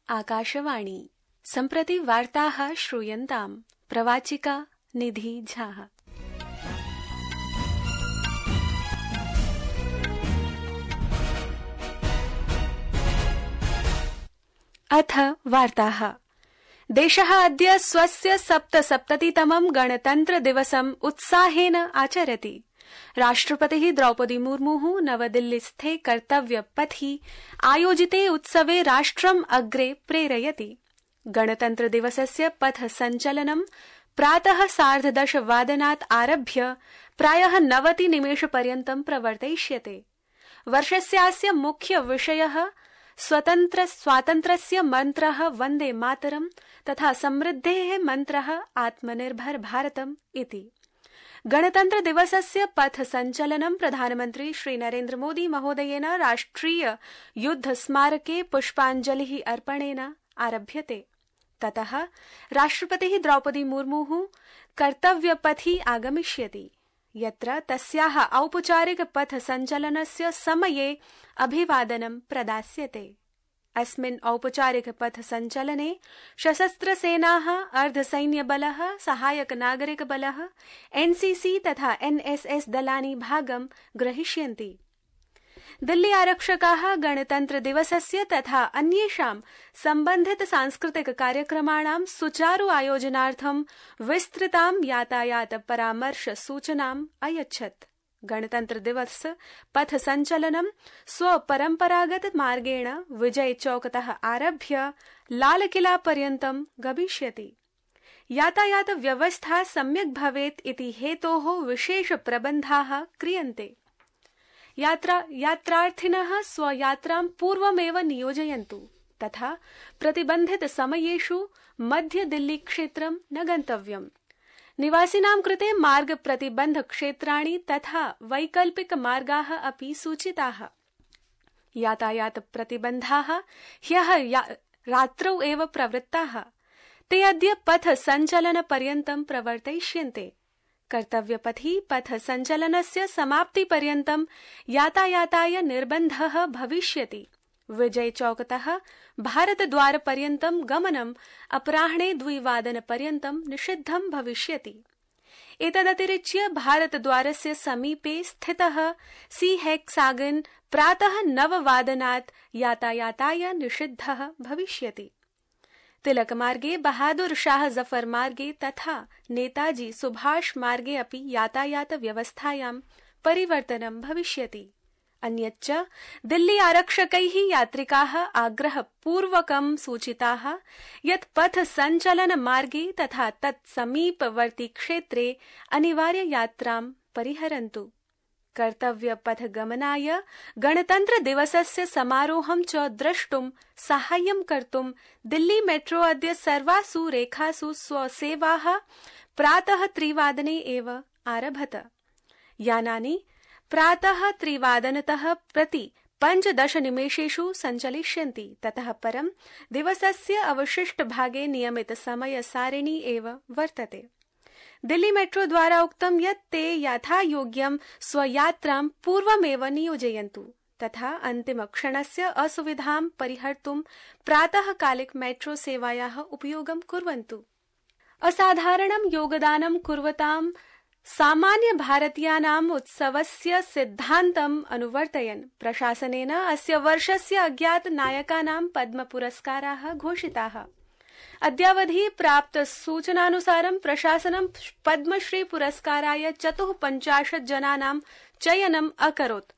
आकाशवाणी सम्प्रति वार्ताः श्रूयन्ताम्। प्रवाचिका निधि झा। अथ वार्ताः। देशः अद्य स्वस्य 77तमं गणतन्त्रदिवसम् उत्साहेन आचरति। राष्ट्रपतिः द्रौपदी मुर्मुः नवदिल्लीस्थे कर्तव्यपथि आयोजिते उत्सवे राष्ट्रम् अग्रे प्रेरयति। गणतन्त्रदिवसस्य पथ सञ्चलनं प्रातः 10:30 वादनात् आरभ्य प्रायः 90 निमेषपर्यन्तं प्रवर्तयिष्यते। वर्षस्यास्य मुख्य विषयः स्वातन्त्र्यस्य मन्त्रः वन्दे मातरम् तथा समृद्धेः मन्त्रः आत्मनिर्भर भारतम् इति। गणतन्त्र दिवसस्य पथ सञ्चलनं प्रधानमन्त्री श्री नरेन्द्र मोदी महोदयेन राष्ट्रिय युद्ध स्मारके पुष्पाञ्जलिः अर्पणेन आरभ्यते। ततः राष्ट्रपतिः द्रौपदी मुर्मुः कर्तव्यपथि आगमिष्यति, यत्र तस्याः औपचारिक पथ सञ्चलनस्य समये अभिवादनं प्रदास्यते। अस्मिन् औपचारिक पथ सञ्चलने सशस्त्रसेनाः, अर्धसैन्यबलः, सहायक नागरिक बलः, एनसीसी तथा एनएसएस दलानि भागं ग्रहीष्यन्ति। दिल्ली आरक्षकाः गणतन्त्र दिवसस्य तथा अन्येषां सम्बन्धित सांस्कृतिक कार्यक्रमाणां सुचारु आयोजनार्थं विस्तृतां यातायात परामर्श सूचनाम् अयच्छत्। गणतन्त्र दिवस पथ सञ्चलनं स्वपरम्परागत मार्गेण विजय चौकतः आरभ्य लालकिला पर्यन्तं गमिष्यति। यातायात व्यवस्था सम्यक् भवेत् इति हेतोः विशेष प्रबन्धाः क्रियन्ते। यात्रार्थिनः स्वयात्रां पूर्वमेव नियोजयन्तु तथा प्रतिबन्धित समयेषु मध्य दिल्ली क्षेत्रं न गन्तव्यम्। निवासिनां कृते मार्ग प्रतिबन्ध क्षेत्राणि तथा वैकल्पिक मार्गाः अपि सूचिताः। यातायात प्रतिबन्धाः ह्यः रात्रौ एव प्रवृत्ताः। ते अद्य पथ सञ्चलन पर्यन्तं प्रवर्तयिष्यन्ते। कर्तव्यपथि पथ सञ्चलनस्य समाप्तिपर्यन्तं यातायाताय निर्बन्धः भविष्यति। विजय चौकतः भारतद्वार पर्यन्तं गमनम् अपराह्णे 2 पर्यन्तं निषिद्धं भविष्यति। एतदतिरिच्य भारतद्वारस्य समीपे स्थितः सी हेक्सागन प्रातः 9 वादनात् यातायाताय निषिद्धः भविष्यति। तिलक मार्गे, बहादुर शाह जफर मार्गे तथा नेताजी सुभाष मार्गे अपि यातायात व्यवस्थायां परिवर्तनं भविष्यति। अन्यच्च दिल्ली आरक्षकैः यात्रिकाः आग्रहपूर्वकं सूचिताः यत् पथ सञ्चलन मार्गे तथा तत्समीपवर्ति क्षेत्रे अनिवार्य यात्रां परिहरन्तु। कर्तव्यपथ गमनाय गणतन्त्र दिवसस्य समारोहं च द्रष्टुं साहाय्यं कर्तुं दिल्ली मेट्रो अद्य सर्वासु रेखासु स्वसेवाः प्रातः 3 वादने एव आरभत। यानानि प्रातः 3 वादनतः प्रति 15 निमेषेषु सञ्चलिष्यन्ति। ततः परं दिवसस्य अवशिष्ट भागे नियमित समय सारिणी एव वर्तते। दिल्ली मेट्रो द्वारा उक्तं यत् ते यथायोग्यं स्वयात्रां पूर्वमेव नियोजयन्तु तथा अन्तिमक्षणस्य असुविधां परिहर्तुं प्रातःकालिक मेट्रो सेवायाः उपयोगं कुर्वन्तु। असाधारणं योगदानं कुर्वतां सामान्य भारतीयानाम् उत्सवस्य सिद्धान्तम् अनुवर्तयन् प्रशासनेन अस्य वर्षस्य अज्ञात नायकानां पद्म पुरस्काराः घोषिताः। अद्यावधि प्राप्त सूचनानुसारं प्रशासनं पद्मश्री पुरस्काराय 54 जनानां चयनम् अकरोत्।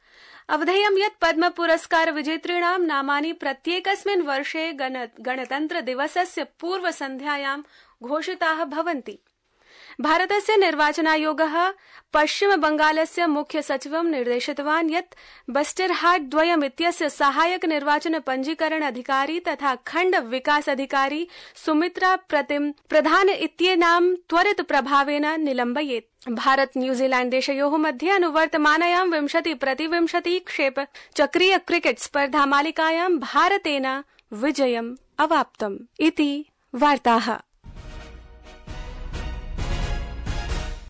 अवधेयं यत् पद्म पुरस्कार विजेतॄणां नामानि प्रत्येकस्मिन् वर्षे गणतन्त्र दिवसस्य पूर्वसन्ध्यायां घोषिताः भवन्ति। भारतस्य निर्वाचनायोगः पश्चिम बंगालस्य मुख्य सचिवं निर्देशितवान् यत् बस्टरहाट द्वयम् इत्यस्य सहायक निर्वाचन पंजीकरण अधिकारी तथा खण्ड विकास अधिकारी सुमित्रा प्रधान इत्येनां त्वरित प्रभावेन निलम्बयेत्। भारत न्यूजीलैण्ड देशयोः मध्ये अनुवर्तमानायां 20-20 क्षेप चक्रीय क्रिकेट स्पर्धा मालिकायां भारतेन विजयम् अवाप्तम् इति वार्ताः।